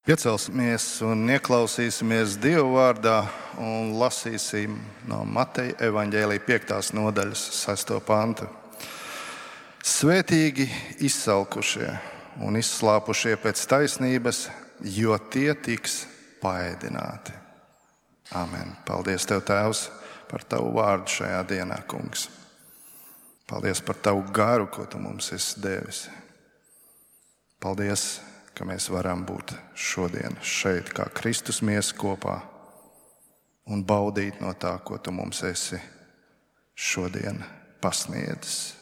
Piecelsimies un ieklausīsimies Dieva vārdā un lasīsim no Mateja evaņģēlija 5. nodaļas 6. pantu. Svētīgi izsalkušie un izslāpušie pēc taisnības, jo tie tiks paēdināti. Amen. Paldies Tev, Tēvs, par Tavu vārdu šajā dienā, Kungs. Paldies par Tavu garu, ko Tu mums esi devis. Paldies, ka mēs varam būt šodien šeit kā Kristus miesa kopā un baudīt no tā, ko Tu mums esi šodien pasniedzis.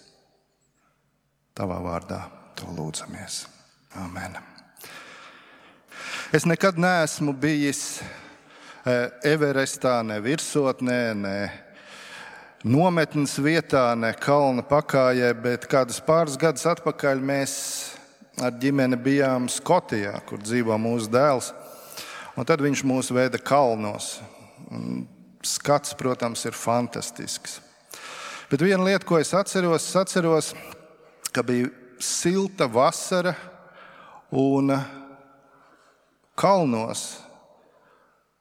Tavā vārdā To lūdzamies. Amen. Es nekad neesmu bijis Everestā, ne virsotnē, ne nometnes vietā, ne kalna pakājē, bet kādus pāris gadus atpakaļ mēs ar ģimeni bijām Skotijā, kur dzīvo mūsu dēls. Un tad viņš mūs veda kalnos. Un skats, protams, ir fantastisks. Bet viena lieta, ko es atceros, ka bija silta vasara un kalnos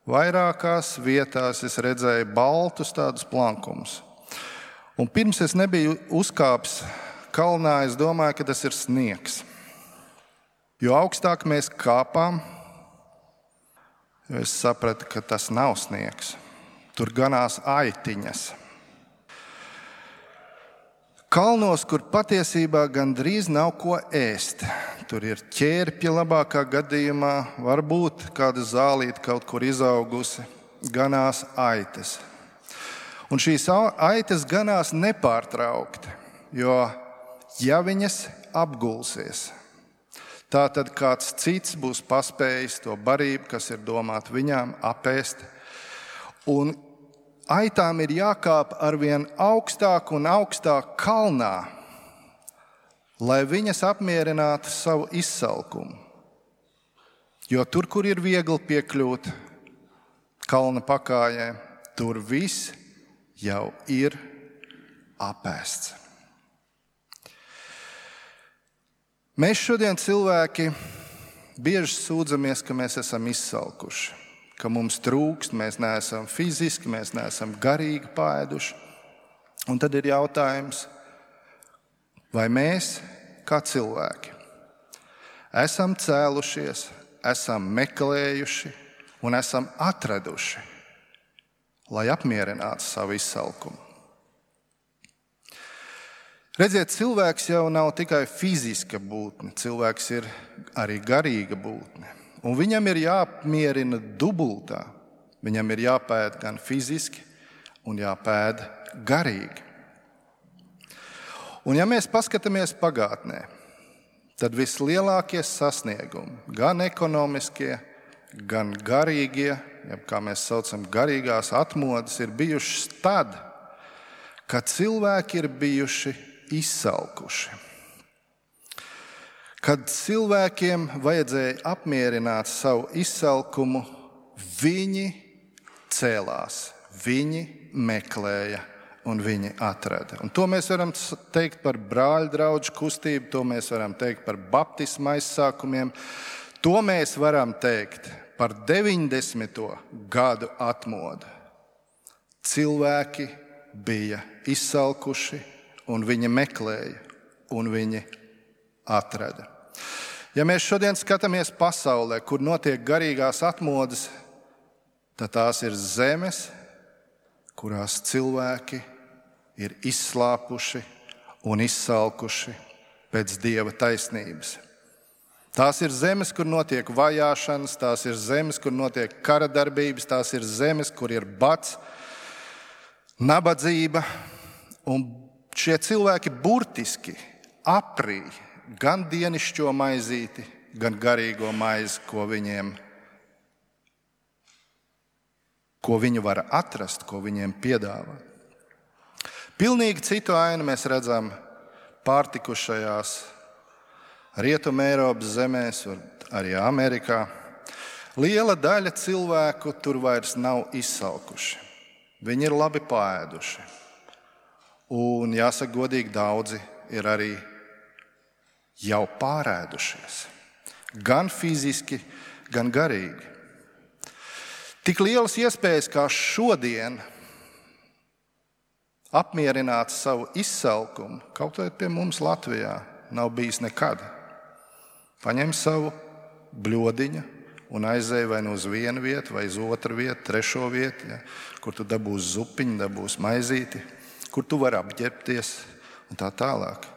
vairākās vietās es redzēju baltus tādus plankumus. Un pirms es nebiju uzkāpis kalnā, es domāju, ka tas ir sniegs. Jo augstāk mēs kāpām, jo es sapratu, ka tas nav sniegs. Tur ganās aitiņas. Kalnos, kur patiesībā gandrīz nav ko ēst. Tur ir ķērpja labākā gadījumā, varbūt kāda zālīte kaut kur izaugusi, ganās aitas. Un šīs aitas ganās nepārtraukti, jo ja viņas apgulsies, tā tad kāds cits būs paspējis to barību, kas ir domāta viņām, apēst. Un aitām ir jākāp arvien augstāk un augstāk kalnā, lai viņas apmierinātu savu izsalkumu. Jo tur, kur ir viegli piekļūt kalna pakājē, tur viss jau ir apēsts. Mēs šodien cilvēki bieži sūdzamies, ka mēs esam izsalkuši, ka mums trūkst, mēs neesam fiziski, mēs neesam garīgi paēduši. Un tad ir jautājums, vai mēs, kā cilvēki, esam cēlušies, esam meklējuši un esam atraduši, lai apmierinātu savu izsalkumu. Redziet, cilvēks jau nav tikai fiziska būtne, cilvēks ir arī garīga būtne. Un viņam ir jāapmierina dubultā. Viņam ir jāpēd gan fiziski un jāpēd garīgi. Un ja mēs paskatāmies pagātnē, tad vislielākie sasniegumi, gan ekonomiskie, gan garīgie, jeb kā mēs saucam garīgās atmodas, ir bijušas tad, kad cilvēki ir bijuši izsalkuši. Kad cilvēkiem vajadzēja apmierināt savu izsalkumu, viņi cēlās, viņi meklēja un viņi atrada. Un to mēs varam teikt par brāļu draugu kustību, to mēs varam teikt par baptisma aizsākumiem, to mēs varam teikt par 90. gadu atmodu. Cilvēki bija izsalkuši, un viņi meklēja, un viņi atrada. Ja mēs šodien skatāmies pasaulē, kur notiek garīgās atmodas, tad tās ir zemes, kurās cilvēki ir izslāpuši un izsalkuši pēc Dieva taisnības. Tās ir zemes, kur notiek vajāšanas, tās ir zemes, kur notiek kara darbības, tās ir zemes, kur ir bats, nabadzība, un šie cilvēki burtiski aprīja gan dienišķo maizīti, gan garīgo maizi, ko viņi var atrast, ko viņiem piedāvā. Pilnīgi citu ainu mēs redzam pārtikušajās Rietuma Eiropas zemēs, arī Amerikā. Liela daļa cilvēku tur vairs nav izsalkuši. Viņi ir labi paēduši. Un jāsaka godīgi, daudzi ir arī jau pārēdušies. Gan fiziski, gan garīgi. Tik lielas iespējas kā šodien apmierināt savu izsalkumu, kaut vai pie mums Latvijā, nav bijis nekad. Paņem savu bļodiņu un aizej vai nu uz vienu vietu, vai uz otru vietu, trešo vietu, ja, kur tu dabūsi zupiņu, dabūsi maizīti, kur tu vari apģērbties un tā tālāk.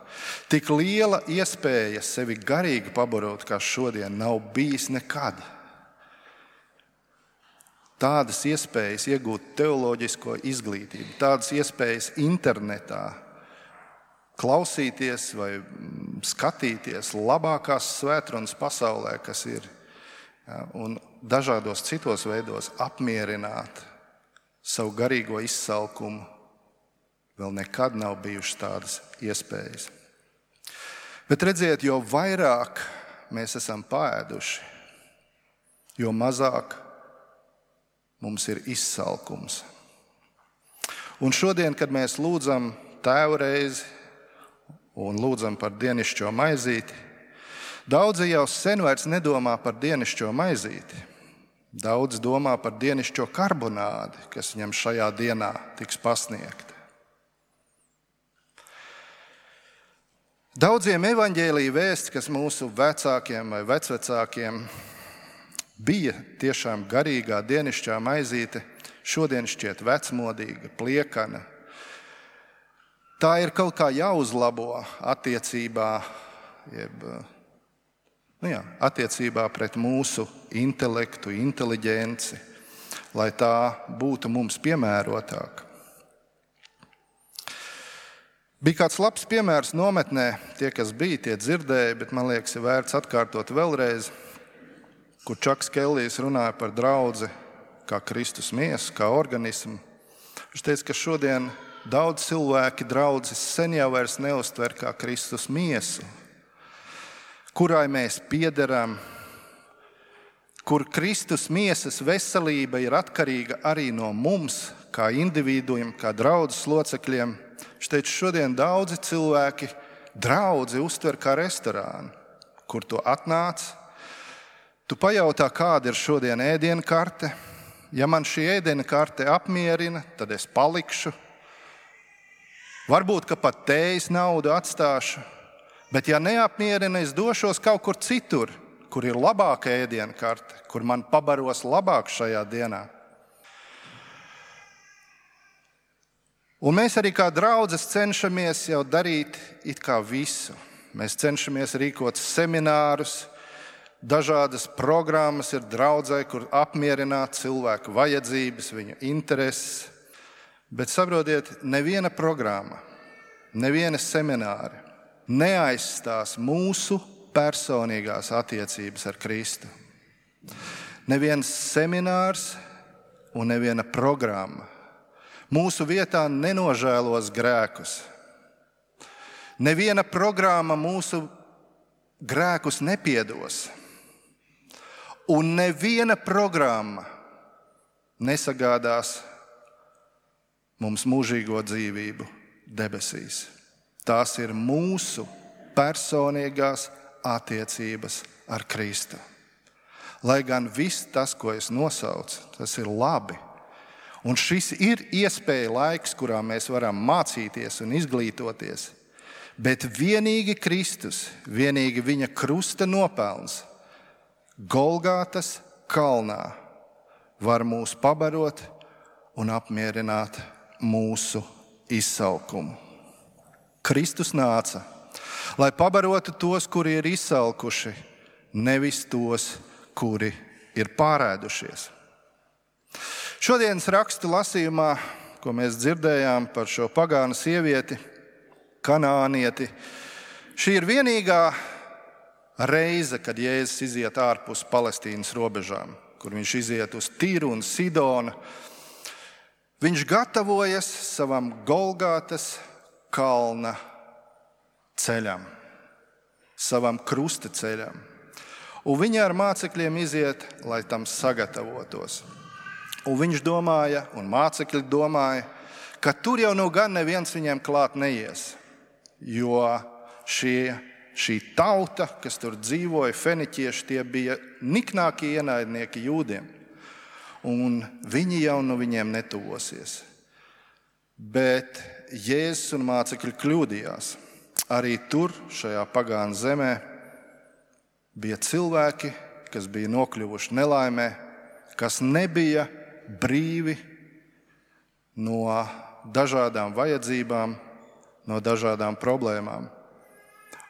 Tik liela iespēja sevi garīgi pabarot, kā šodien, nav bijis nekad. Tādas iespējas iegūt teoloģisko izglītību, tādas iespējas internetā, klausīties vai skatīties labākās svētrunas pasaulē, kas ir, ja, un dažādos citos veidos apmierināt savu garīgo izsalkumu. Vēl nekad nav bijušas tādas iespējas. Bet redziet, jo vairāk mēs esam paēduši, jo mazāk mums ir izsalkums. Un šodien, kad mēs lūdzam Tēvu reizi un lūdzam par dienišķo maizīti, daudzi jau sen vairs nedomā par dienišķo maizīti. Daudz domā par dienišķo karbonādi, kas viņam šajā dienā tiks pasniegta. Daudziem evaņģēlija vēsti, kas mūsu vecākiem vai vecvecākiem bija tiešām garīgā dienišķā maizīte, šodien šķiet vecmodīga, pliekana. Tā ir kaut kā jāuzlabo attiecībā pret mūsu intelektu, inteliģenci, lai tā būtu mums piemērotāka. Bija kāds labs piemērs nometnē, tie, kas bija, tie dzirdēja, bet man liekas, ir vērts atkārtot vēlreiz, kur Čaks Kellijs runāja par draudzi kā Kristus miesu, kā organismu. Viņš teica, ka šodien daudz cilvēki draudzes sen jau vairs neuztver kā Kristus miesu, kurai mēs piederam, kur Kristus miesas veselība ir atkarīga arī no mums, kā individuiem, kā draudzes locekļiem. Viņš teica, šodien daudzi cilvēki draudzi uztver kā restorānu, kur tu atnāc. Tu pajautā, kāda ir šodien ēdiena karte. Ja man šī ēdiena karte apmierina, tad es palikšu. Varbūt, ka pat tējas naudu atstāšu. Bet ja neapmierina, es došos kaut kur citur, kur ir labāka ēdiena karte, kur man pabaros labāk šajā dienā. Un mēs arī kā draudzes cenšamies jau darīt it kā visu. Mēs cenšamies rīkot seminārus, dažādas programmas ir draudzē, kur apmierināt cilvēku vajadzības, viņu intereses. Bet saprotiet, neviena programma, neviena semināri neaizstās mūsu personīgās attiecības ar Kristu. Neviens seminārs un neviena programma mūsu vietā nenožēlos grēkus. Neviena programma mūsu grēkus nepiedos. Un neviena programma nesagādās mums mūžīgo dzīvību debesīs. Tās ir mūsu personīgās attiecības ar Kristu. Lai gan viss tas, ko es nosaucu, tas ir labi. Un šis ir iespēja laiks, kurā mēs varam mācīties un izglītoties. Bet vienīgi Kristus, vienīgi viņa krusta nopelns Golgātas kalnā var mūs pabarot un apmierināt mūsu izsalkumu. Kristus nāca, lai pabarotu tos, kuri ir izsalkuši, nevis tos, kuri ir pārēdušies. Šodienas rakstu lasījumā, ko mēs dzirdējām par šo pagānu sievieti, kanānieti, šī ir vienīgā reize, kad Jēzus iziet ārpus Palestīnas robežām, kur viņš iziet uz Tīru un Sidonu. Viņš gatavojas savam Golgātas kalna ceļam, savam krusta ceļam. Un viņi ar mācekļiem iziet, lai tam sagatavotos. Un viņš domāja, un mācekļi domāja, ka tur jau nu gan neviens viņiem klāt neies, jo šie šī tauta, kas tur dzīvoja, feniķieši, tie bija niknākie ienaidnieki jūdiem. Un viņi jau no viņiem netuvosies. Bet Jēzus un mācekļi kļūdījās. Arī tur, šajā pagānu zemē, bija cilvēki, kas bija nokļuvuši nelaimē, kas nebija brīvi no dažādām vajadzībām, no dažādām problēmām.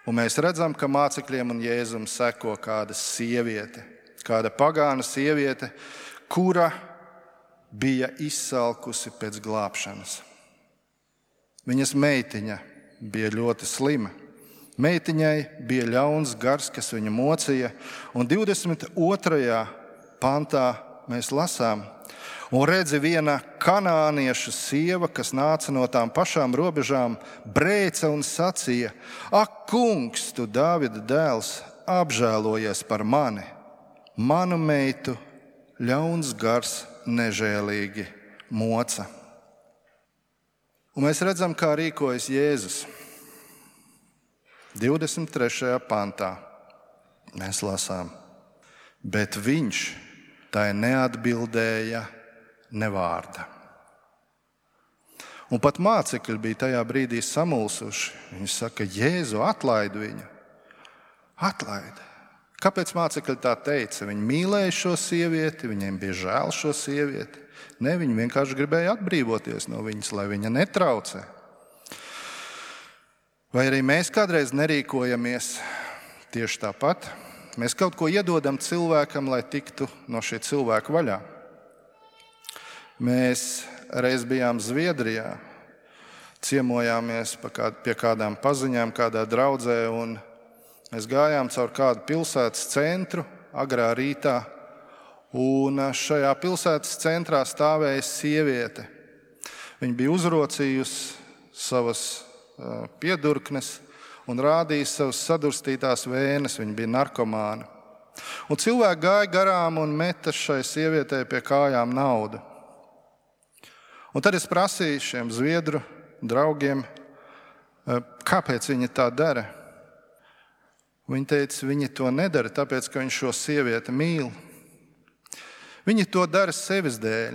Un mēs redzam, ka mācekļiem un Jēzum seko kāda sieviete, kāda pagāna sieviete, kura bija izsalkusi pēc glābšanas. Viņas meitiņa bija ļoti slima. Meitiņai bija ļauns gars, kas viņu mocīja, un 22. pantā mēs lasām: un redzi, viena kanāniešu sieva, kas nāca no tām pašām robežām, brēca un sacīja: ak, kungs, tu Dāvida dēls, apžēlojies par mani. Manu meitu ļauns gars nežēlīgi moca. Un mēs redzam, kā rīkojas Jēzus. 23. pantā mēs lasām: bet viņš tai neatbildēja ne vārda. Un pat mācekļi bija tajā brīdī samulsuši. Viņi saka: Jēzu, atlaid viņu. Atlaid. Kāpēc mācekļi tā teica? Viņi mīlēja šo sievieti, viņiem bija žēl šo sievieti. Ne, viņi vienkārši gribēja atbrīvoties no viņas, lai viņa netraucē. Vai arī mēs kādreiz nerīkojamies tieši tāpat? Mēs kaut ko iedodam cilvēkam, lai tiktu no šī cilvēka vaļā. Mēs reiz bijām Zviedrijā, ciemojāmies pie kādām paziņām, kādā draudzē, un mēs gājām caur kādu pilsētas centru agrā rītā, un šajā pilsētas centrā stāvēja sieviete. Viņa bija uzrocījusi savas piedurknes un rādīja savas sadurstītās vēnes. Viņa bija narkomāna. Un cilvēki gāja garām un meta šai sievietei pie kājām naudu. Un tad es prasīju šiem zviedru draugiem, kāpēc viņi tā dara. Viņi teica, viņi to nedara, tāpēc, ka viņš šo sievieti mīl. Viņi to dara sevis dēļ,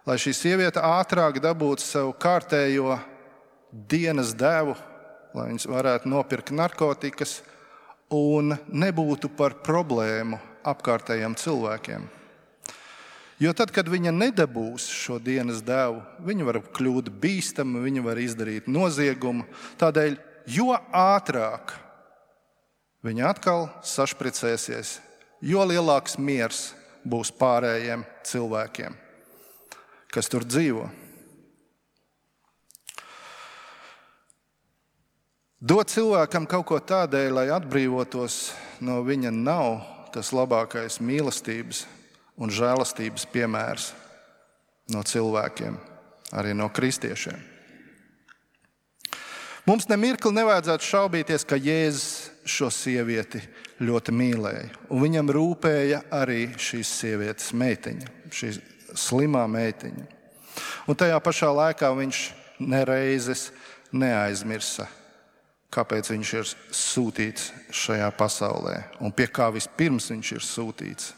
lai šī sieviete ātrāk dabūtu savu kārtējo dienas devu, lai viņas varētu nopirkt narkotikas un nebūtu par problēmu apkārtējiem cilvēkiem. Jo tad, kad viņa nedabūs šo dienas devu, viņa var kļūt bīstama, viņa var izdarīt noziegumu. Tādēļ, jo ātrāk viņa atkal sašpricēsies, jo lielāks miers būs pārējiem cilvēkiem, kas tur dzīvo. Dot cilvēkam kaut ko tādēļ, lai atbrīvotos no viņa, nav tas labākais mīlestības un žēlastības piemērs no cilvēkiem, arī no kristiešiem. Mums nemirkli nevajadzētu šaubīties, ka Jēzus šo sievieti ļoti mīlēja, un viņam rūpēja arī šīs sievietes meitiņa, šī slimā meitiņa. Un tajā pašā laikā viņš nereizes neaizmirsa, kāpēc viņš ir sūtīts šajā pasaulē un pie kā vispirms viņš ir sūtīts.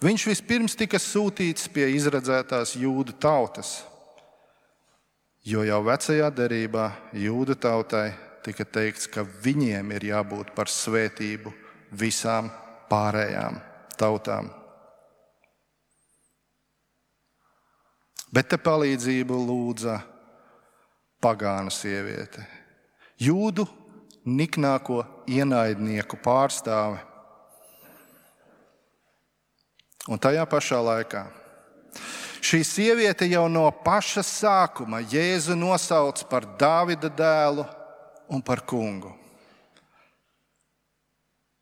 Viņš vispirms tika sūtīts pie izredzētās jūdu tautas, jo jau vecajā derībā jūdu tautai tika teikts, ka viņiem ir jābūt par svētību visām pārējām tautām. Bet te palīdzību lūdza pagānu sieviete, jūdu niknāko ienaidnieku pārstāve. Un tajā pašā laikā šī sieviete jau no paša sākuma Jēzu nosauc par Dāvida dēlu un par kungu.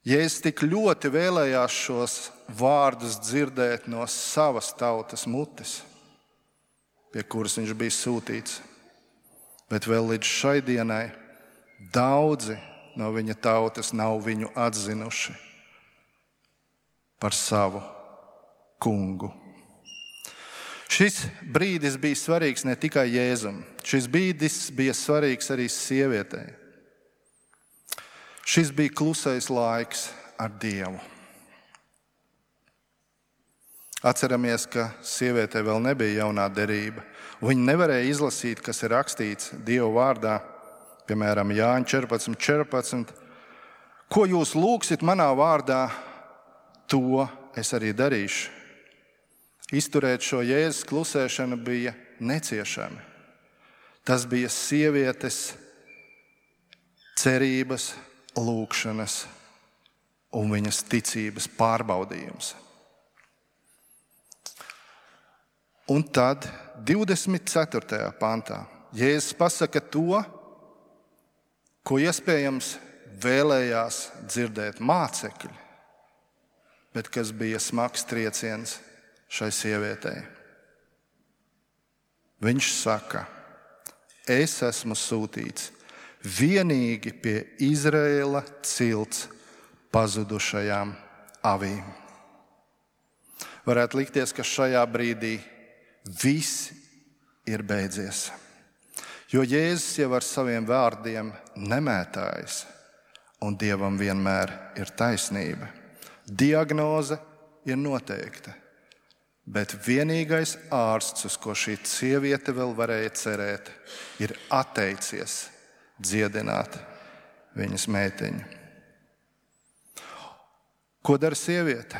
Jēzus tik ļoti vēlējās šos vārdus dzirdēt no savas tautas mutes, pie kuras viņš bija sūtīts. Bet vēl līdz šai dienai daudzi no viņa tautas nav viņu atzinuši par savu kungu. Šis brīdis bija svarīgs ne tikai Jēzum. Šis brīdis bija svarīgs arī sievietei. Šis bija klusais laiks ar Dievu. Atceramies, ka sievietei vēl nebija jaunā derība. Viņa nevarēja izlasīt, kas ir rakstīts Dieva vārdā, piemēram, Jāņa 14:14. Ko jūs lūgsit manā vārdā, to es arī darīšu. Izturēt šo Jēzus klusēšanu bija neciešami. Tas bija sievietes cerības, lūgšanas un viņas ticības pārbaudījums. Un tad 24. pantā Jēzus pasaka to, ko iespējams vēlējās dzirdēt mācekļi, bet kas bija smags trieciens šai sievietei. Viņš saka, es esmu sūtīts vienīgi pie Izraēla cilts pazudušajām avīm. Varētu likties, ka šajā brīdī viss ir beidzies, jo Jēzus jau ar saviem vārdiem nemētājas, un Dievam vienmēr ir taisnība. Diagnoze ir noteikta, bet vienīgais ārsts, uz ko šī sieviete vēl varēja cerēt, ir atteicies dziedināt viņas meitiņu. Ko dara sieviete?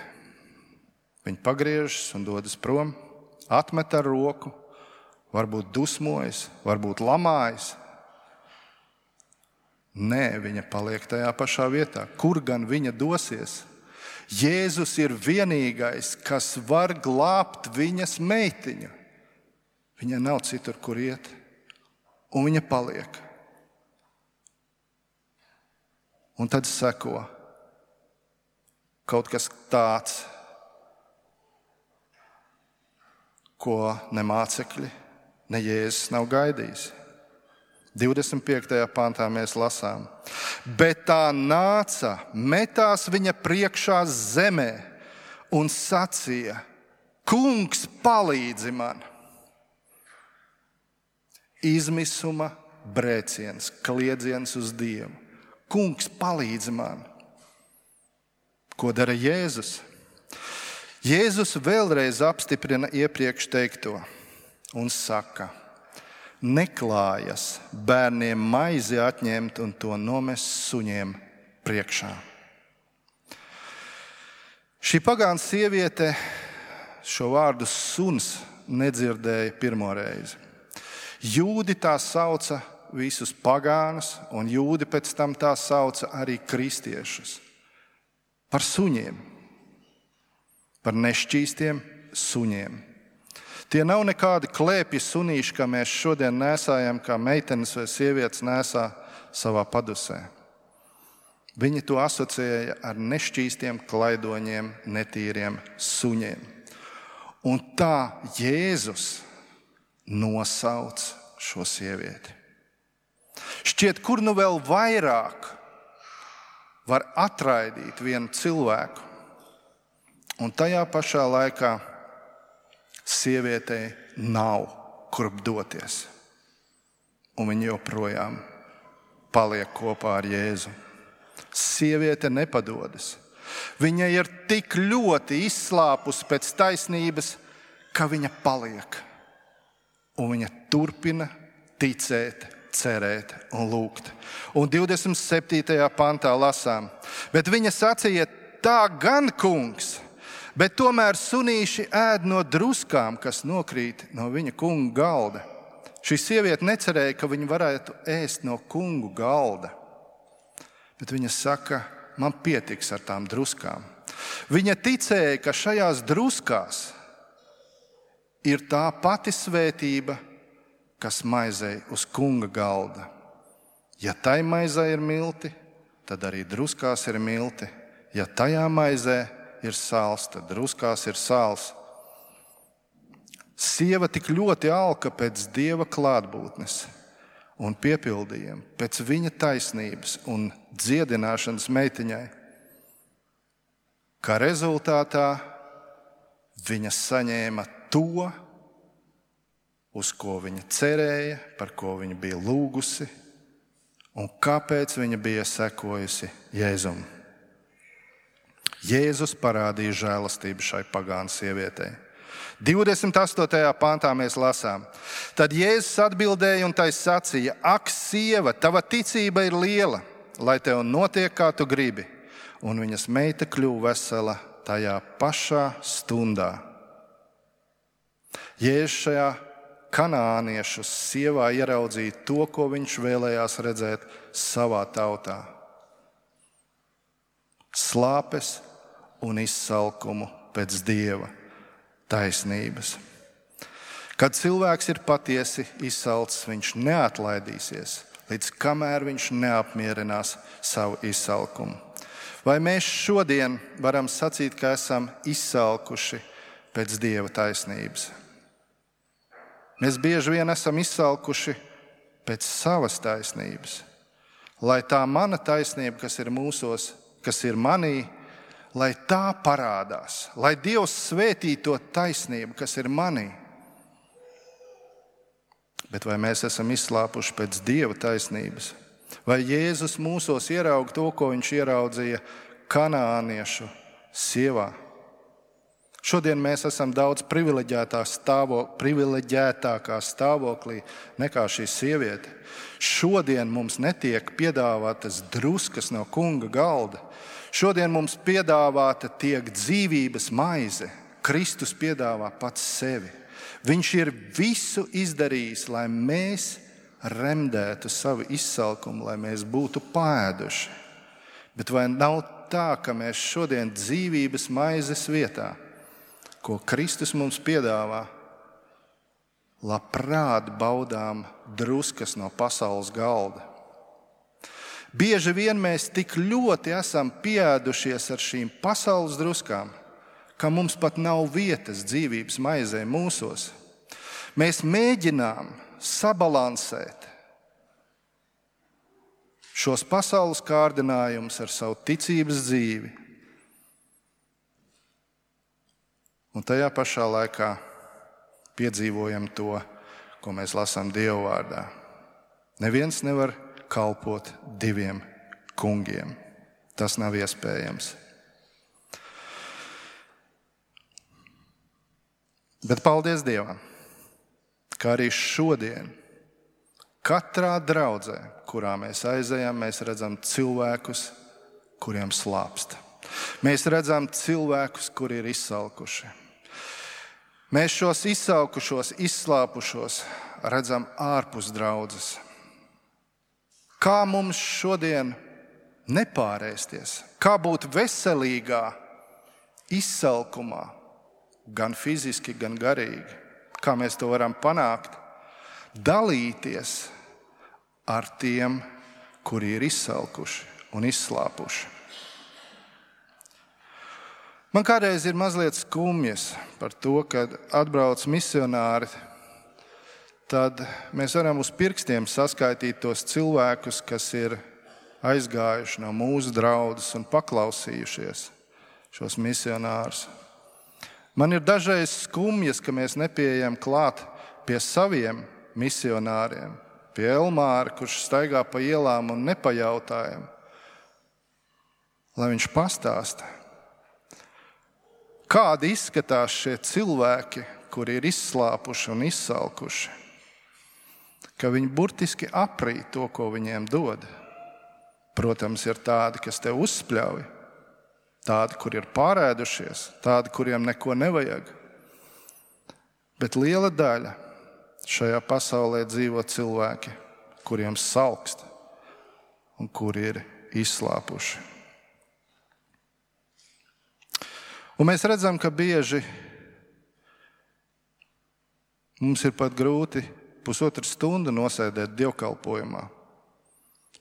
Viņa pagriežas un dodas prom, atmet ar roku, varbūt dusmojas, varbūt lamājas. Nē, viņa paliek tajā pašā vietā. Kur gan viņa dosies? Jēzus ir vienīgais, kas var glābt viņas meitiņu. Viņa nav citur, kur iet, un viņa paliek. Un tad seko kaut kas tāds, ko ne mācekļi, ne Jēzus nav gaidījis. 25. pantā mēs lasām, bet tā nāca, metās viņa priekšā zemē un sacīja, Kungs, palīdzi man! Izmisuma brēciens, kliedziens uz Dievu. Kungs, palīdzi man! Ko dara Jēzus? Jēzus vēlreiz apstiprina iepriekš teikto un saka, neklājas bērniem maizi atņemt un to nomest suņiem priekšā. Šī pagāna sieviete šo vārdu suns nedzirdēja pirmo reizi. Jūdi tā sauca visus pagānus, un jūdi pēc tam tā sauca arī kristiešus par suņiem, par nešķīstiem suņiem. Tie nav nekādi klēpji sunīši, kā mēs šodien nesājam, kā meitenes vai sievietes nesā savā padusē. Viņi to asociēja ar nešķīstiem klaidoņiem, netīriem suņiem. Un tā Jēzus nosauc šo sievieti. Šķiet, kur nu vēl vairāk var atraidīt vienu cilvēku, un tajā pašā laikā sievietei nav kurp doties, un viņa joprojām paliek kopā ar Jēzu. Sieviete nepadodas. Viņa ir tik ļoti izslāpusi pēc taisnības, ka viņa paliek, un viņa turpina ticēt, cerēt un lūgt. Un 27. pantā lasām, bet viņa sacīja, tā gan, kungs, bet tomēr sunīši ēd no druskām, kas nokrīt no viņa kunga galda. Šī sieviete necerēja, ka viņa varētu ēst no kungu galda, bet viņa saka, man pietiks ar tām druskām. Viņa ticēja, ka šajās druskās ir tā pati svētība, kas maizei uz kunga galda. Ja tai maizē ir milti, tad arī druskās ir milti. Ja tajā maizē ir sāls, tad druskās ir sāls. Sieva tik ļoti alka pēc Dieva klātbūtnes un piepildījuma, pēc viņa taisnības un dziedināšanas meitiņai, kā rezultātā viņa saņēma to, uz ko viņa cerēja, par ko viņa bija lūgusi, un kāpēc viņa bija sekojusi Jēzum. Jēzus parādīja žēlastību šai pagānu sievietei. 28. pantā mēs lasām. Tad Jēzus atbildēja un tai sacīja: Ak, sieva, tava ticība ir liela, lai tev notiek, kā tu gribi. Un viņas meita kļuva vesela tajā pašā stundā. Jēzus šajā kanāniešu sievā ieraudzīja to, ko viņš vēlējās redzēt savā tautā. Slāpes un izsalkumu pēc Dieva taisnības. Kad cilvēks ir patiesi izsalcis, viņš neatlaidīsies, līdz kamēr viņš neapmierinās savu izsalkumu. Vai mēs šodien varam sacīt, ka esam izsalkuši pēc Dieva taisnības? Mēs bieži vien esam izsalkuši pēc savas taisnības. Lai tā mana taisnība, kas ir mūsos, kas ir manī, lai tā parādās. Lai Dievs svētī to taisnību, kas ir manī. Bet vai mēs esam izslāpuši pēc Dieva taisnības? Vai Jēzus mūsos ieraug to, ko viņš ieraudzīja kanāniešu sievā? Šodien mēs esam daudz privileģētākā stāvoklī nekā šī sieviete. Šodien mums netiek piedāvātas druskas no kunga galda. Šodien mums piedāvāta tiek dzīvības maize. Kristus piedāvā pats sevi. Viņš ir visu izdarījis, lai mēs remdētu savu izsalkumu, lai mēs būtu paēduši. Bet vai nav tā, ka mēs šodien dzīvības maizes vietā, ko Kristus mums piedāvā, labprāt baudām druskas no pasaules galda? Bieži vien mēs tik ļoti esam pieēdušies ar šīm pasaules druskām, ka mums pat nav vietas dzīvības maizē mūsos. Mēs mēģinām sabalansēt šos pasaules kārdinājumus ar savu ticības dzīvi. Un tajā pašā laikā piedzīvojam to, ko mēs lasām Dieva vārdā. Neviens nevar kalpot diviem kungiem. Tas nav iespējams. Bet paldies Dievam, ka arī šodien katrā draudzē, kurā mēs aizejam, mēs redzam cilvēkus, kuriem slāpst. Mēs redzam cilvēkus, kuri ir izsalkuši. Mēs šos izsalkušos, izslāpušos redzam ārpus draudzes. Kā mums šodien nepārēsties? Kā būt veselīgā izsalkumā, gan fiziski, gan garīgi? Kā mēs to varam panākt? Dalīties ar tiem, kuri ir izsalkuši un izslāpuši. Man kādreiz ir mazliet skumjas par to, kad atbrauc misionāri, tad mēs varam uz pirkstiem saskaitīt tos cilvēkus, kas ir aizgājuši no mūsu draudzes un paklausījušies šos misionārus. Man ir dažreiz skumjas, ka mēs nepieejam klāt pie saviem misionāriem, pie Elmāra, kurš staigā pa ielām un nepajautājam, lai viņš pastāsta, kādi izskatās šie cilvēki, kuri ir izslāpuši un izsalkuši, ka viņi burtiski aprīt to, ko viņiem dod. Protams, ir tādi, kas tev uzspļauj, tādi, kuri ir pārēdušies, tādi, kuriem neko nevajag. Bet liela daļa šajā pasaulē dzīvo cilvēki, kuriem salkst un kuri ir izslāpuši. Un mēs redzam, ka bieži mums ir pat grūti pusotru stundu nosēdēt dievkalpojumā.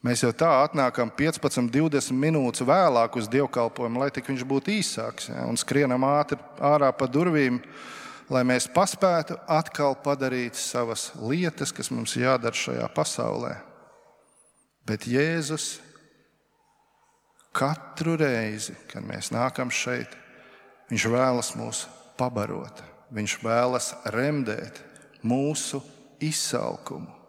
Mēs jau tā atnākam 15, 20 minūtes vēlāk uz dievkalpojumu, lai tik viņš būtu īsāks, ja, un skrienam ātri ārā pa durvīm, lai mēs paspētu atkal padarīt savas lietas, kas mums jādara šajā pasaulē. Bet Jēzus katru reizi, kad mēs nākam šeit, viņš vēlas mūs pabarot. Viņš vēlas remdēt mūsu izsalkumu.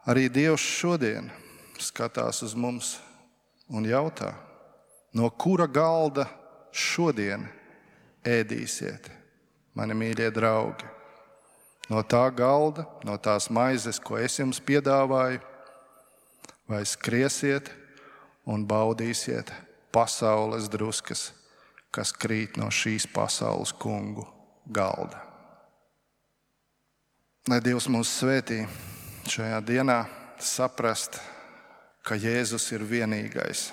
Arī Dievs šodien skatās uz mums un jautā, no kura galda šodien ēdīsiet, mani mīļie draugi? No tā galda, no tās maizes, ko es jums piedāvāju, vai skriesiet un baudīsiet pasaules druskas, kas krīt no šīs pasaules kungu galda. Lai Dievs mūs svētī šajā dienā saprast, ka Jēzus ir vienīgais,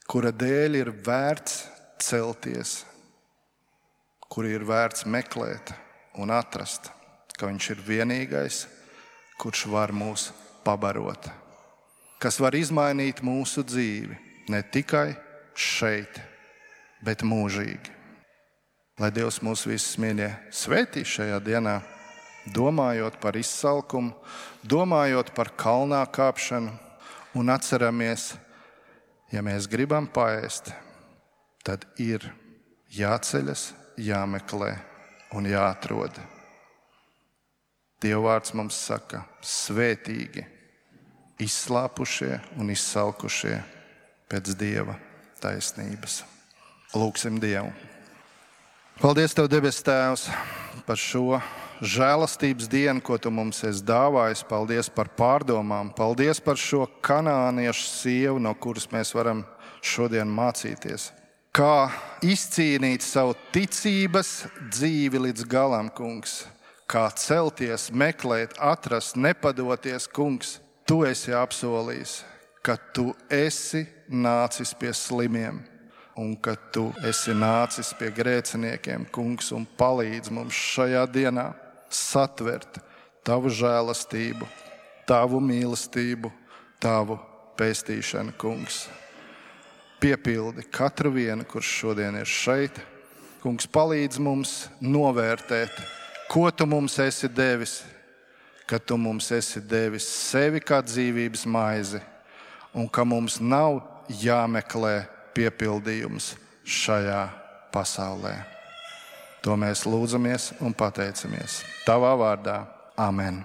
kura dēļ ir vērts celties, kuru ir vērts meklēt un atrast, ka viņš ir vienīgais, kurš var mūs pabarot, kas var izmainīt mūsu dzīvi ne tikai šeit, bet mūžīgi. Lai Dievs mūs visus, mīļie, svētī šajā dienā, domājot par izsalkumu, domājot par kalnā kāpšanu un atceramies, ja mēs gribam paēst, tad ir jāceļas, jāmeklē un jāatrod. Dieva vārds mums saka, svētīgi izslāpušie un izsalkušie pēc Dieva taisnības. Lūksim Dievu. Paldies Tev, debes Tēvs, par šo žēlastības dienu, ko Tu mums esi dāvājis. Paldies par pārdomām. Paldies par šo kanāniešu sievu, no kuras mēs varam šodien mācīties. Kā izcīnīt savu ticības dzīvi līdz galam, kungs. Kā celties, meklēt, atrast, nepadoties, kungs. Tu esi apsolījis, ka Tu esi nācis pie slimiem un ka Tu esi nācis pie grēciniekiem, kungs, un palīdz mums šajā dienā satvert Tavu žēlastību, Tavu mīlestību, Tavu pestīšanu, kungs. Piepildi katru vienu, kurš šodien ir šeit. Kungs, palīdz mums novērtēt, ko Tu mums esi devis, ka Tu mums esi devis sevi kā dzīvības maizi un ka mums nav jāmeklē piepildījums šajā pasaulē. To mēs lūdzamies un pateicamies Tavā vārdā. Amen.